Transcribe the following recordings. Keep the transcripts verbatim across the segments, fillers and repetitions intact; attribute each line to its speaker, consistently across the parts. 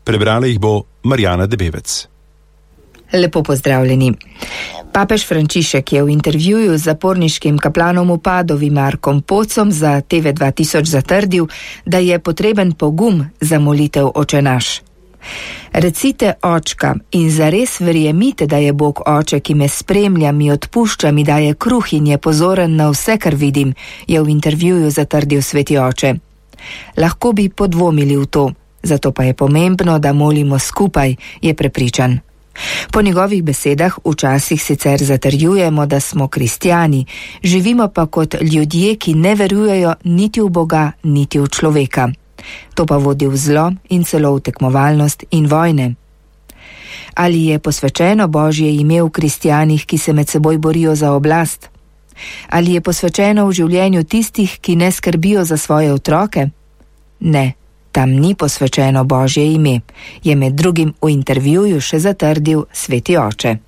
Speaker 1: Prebrala jih bo Marjana Debevec.
Speaker 2: Lepo pozdravljeni. Papež Frančišek je v intervjuju z zaporniškim kaplanom v Padovi Markom Pocom za T V dva tisoč zatrdil, da je potreben pogum za molitev Oče naš. Recite očka in zares verjemite, da je Bog oče, ki me spremlja, mi odpušča, mi daje kruh in je pozoren na vse, kar vidim, je v intervjuju zatrdil sveti oče. Lahko bi podvomili v to, zato pa je pomembno, da molimo skupaj, je prepričan. Po njegovih besedah včasih sicer zatrjujemo, da smo kristjani, živimo pa kot ljudje, ki ne verujejo niti v Boga, niti v človeka. To pa vodi v zlo in celo v tekmovalnost in vojne. Ali je posvečeno Božje ime v kristjanih, ki se med seboj borijo za oblast? Ali je posvečeno v življenju tistih, ki ne skrbijo za svoje otroke? Ne. Tam ni posvečeno Božje ime, je med drugim v intervjuju še zatrdil sveti oče.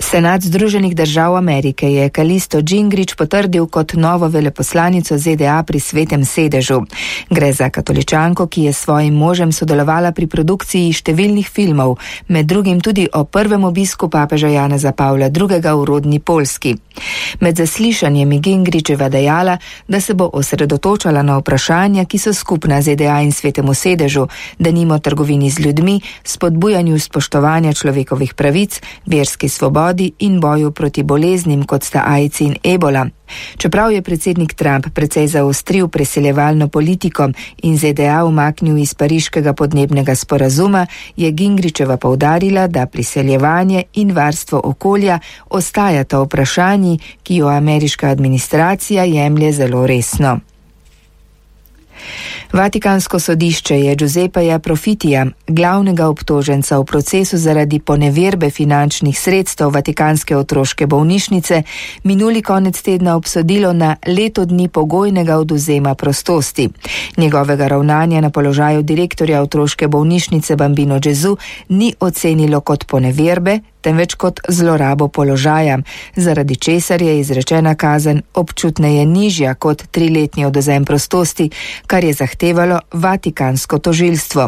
Speaker 2: Senat Združenih držav Amerike je Kalisto Gingrich potrdil kot novo veleposlanico Z D A pri Svetem sedežu. Gre za katoličanko, ki je s svojim možem sodelovala pri produkciji številnih filmov, med drugim tudi o prvem obisku papeža Janeza Pavla drugega v rodni Poljski. Med zaslišanjem je Gingricheva dejala, da se bo osredotočala na vprašanja, ki so skupna Z D A in Svetemu sedežu, denimo trgovini z ljudmi, spodbujanju spoštovanja človekovih pravic, verski svobodi in boju proti boleznim, kot sta AIDS in ebola. Čeprav je predsednik Trump precej zaostril preseljevalno politiko in Z D A umaknil iz pariškega podnebnega sporazuma, je Gingricheva poudarila, da priseljevanje in varstvo okolja ostajata vprašanji, ki jo ameriška administracija jemlje zelo resno. Vatikansko sodišče je Giuseppeja Profitija, glavnega obtoženca v procesu zaradi poneverbe finančnih sredstev Vatikanske otroške bolnišnice, minuli konec tedna obsodilo na leto dni pogojnega odvzema prostosti. Njegovega ravnanja na položaju direktorja otroške bolnišnice Bambino Gesù ni ocenilo kot poneverbe, temveč kot zlorabo položaja, zaradi česar je izrečena kazen občutneje nižja kot triletni odvzem prostosti, kar je zahtevalo vatikansko tožilstvo.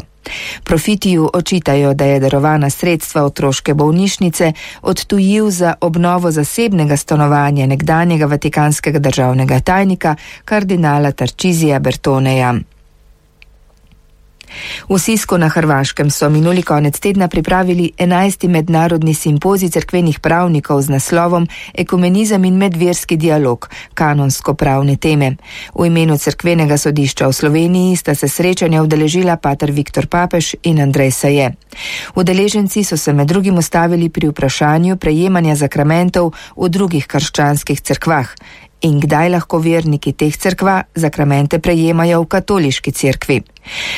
Speaker 2: Profitiju očitajo, da je darovana sredstva otroške bolnišnice odtujil za obnovo zasebnega stanovanja nekdanjega vatikanskega državnega tajnika kardinala Tarcisija Bertoneja. V Sisku na Hrvaškem so minuli konec tedna pripravili enajsti mednarodni simpozij cerkvenih pravnikov z naslovom Ekumenizem in medverski dialog, kanonsko-pravne teme. V imenu cerkvenega sodišča v Sloveniji sta se srečanja udeležila pater Viktor Papež in Andrej Saje. Udeleženci so se med drugim ustavili pri vprašanju prejemanja zakramentov v drugih krščanskih cerkvah. In kdaj lahko verniki teh cerkva zakramente prejemajo v katoliški cerkvi?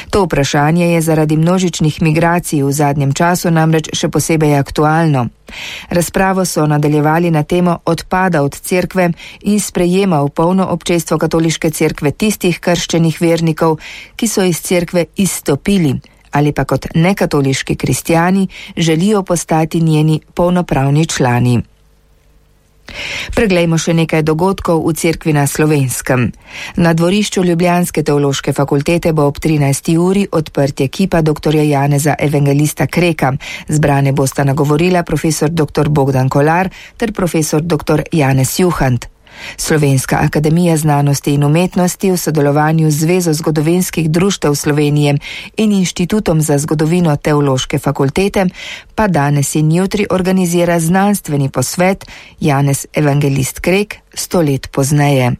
Speaker 2: To vprašanje je zaradi množičnih migracij v zadnjem času namreč še posebej aktualno. Razpravo so nadaljevali na temo odpada od cerkve in sprejema v polno občestvo katoliške cerkve tistih krščenih vernikov, ki so iz cerkve izstopili ali pa kot nekatoliški kristjani želijo postati njeni polnopravni člani. Preglejmo še nekaj dogodkov v cerkvi na Slovenskem. Na dvorišču Ljubljanske teološke fakultete bo ob trinajsti uri odprtje kipa doktorja Janeza Evangelista Kreka. Zbrane bosta nagovorila profesor doktor Bogdan Kolar ter profesor doktor Janez Juhant. Slovenska akademija znanosti in umetnosti v sodelovanju z Zvezo zgodovinskih društev Slovenije in Inštitutom za zgodovino teološke fakultete pa danes in jutri organizira znanstveni posvet Janez Evangelist Krek sto let pozneje.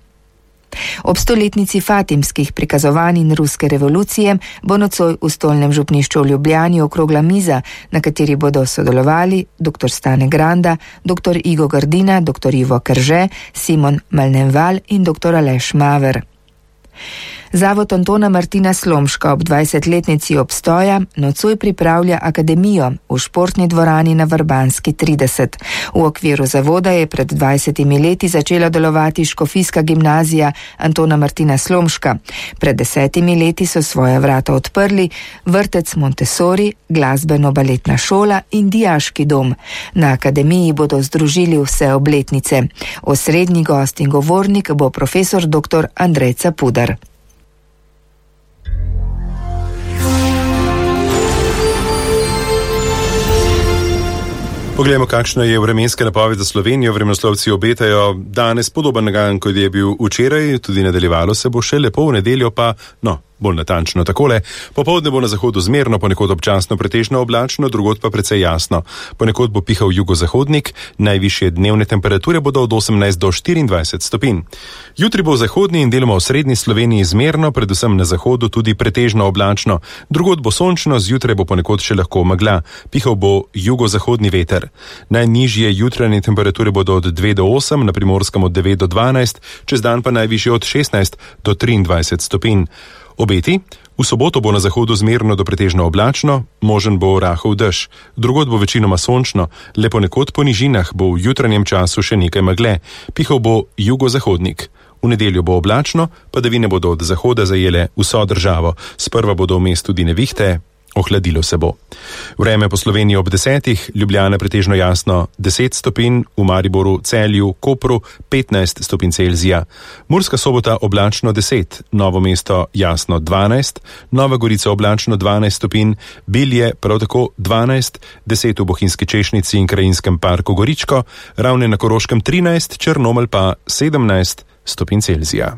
Speaker 2: Ob stoletnici fatimskih prikazovanj in ruske revolucije bo nocoj v stolnem župnišču v Ljubljani okrogla miza, na kateri bodo sodelovali doktor Stane Granda, doktor Igo Gardina, doktor Ivo Krže, Simon Malneval in doktor Aleš Maver. Zavod Antona Martina Slomška ob dvajsetletnici obstoja nocoj pripravlja akademijo v športni dvorani na Vrbanski trideset. V okviru zavoda je pred dvajsetimi leti začela delovati škofijska gimnazija Antona Martina Slomška. Pred desetimi leti so svoja vrata odprli vrtec Montessori, glasbeno-baletna šola in dijaški dom. Na akademiji bodo združili vse obletnice. Osrednji gost in govornik bo profesor doktor Andrej Capudar.
Speaker 1: Poglejmo, kakšna je vremenska napoved za Slovenijo. Vremenoslovci obetajo danes podoben dan, kot je bil včeraj, tudi nadaljevalo se bo še lepo, v nedeljo pa, no, bolj natančno takole. Popoldne bo na zahodu zmerno, ponekod občasno pretežno oblačno, drugod pa precej jasno. Ponekod bo pihal jugozahodnik, najvišje dnevne temperature bodo od osemnajst do štiriindvajset stopinj. Jutri bo v zahodni in deloma v srednji Sloveniji zmerno, predvsem na zahodu tudi pretežno oblačno. Drugod bo sončno, zjutraj bo ponekod še lahko megla. Pihal bo jugozahodni veter. Najnižje jutranje temperature bodo od dve do osem, na Primorskem od devet do dvanajst, čez dan pa najvišje od šestnajst do triindvajset stopinj. Obeti: v soboto bo na zahodu zmerno do pretežno oblačno, možen bo rahel dež. Drugod bo večinoma sončno, le ponekod po nižinah bo v jutranjem času še nekaj megle. Pihal bo jugozahodnik. V nedeljo bo oblačno, padavine bodo od zahoda zajele vso državo. Sprva bodo vmes tudi nevihte, ohladilo se bo. Vreme po Sloveniji ob desetih, Ljubljana pretežno jasno deset stopinj, v Mariboru, Celju, Kopru petnajst stopinj Celzija. Murska Sobota oblačno deset, Novo mesto jasno dvanajst, Nova Gorica oblačno dvanajst stopinj, Bilje prav tako dvanajst, deset v Bohinjski Češnjici in Krajinskem parku Goričko, Ravne na Koroškem trinajst, Črnomelj pa sedemnajst stopinj Celzija.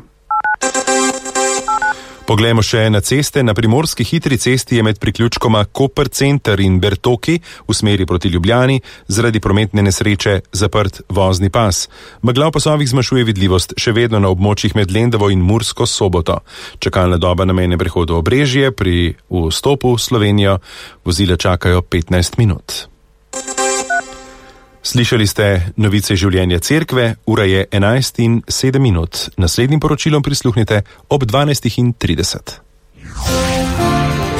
Speaker 1: Poglejmo še na ceste. Na primorski hitri cesti je med priključkoma Koper center in Bertoki v smeri proti Ljubljani zaradi prometne nesreče zaprt vozni pas. Megla v pasovih zmanjšuje vidljivost še vedno na območjih med Lendavo in Mursko Soboto. Čakalna doba na mejnem prehodu Obrežje pri vstopu v Slovenijo vozila čakajo petnajst minut. Slišali ste novice življenja cerkve, ura je enajst in sedem minut. Naslednjim poročilom prisluhnite ob dvanajst in trideset.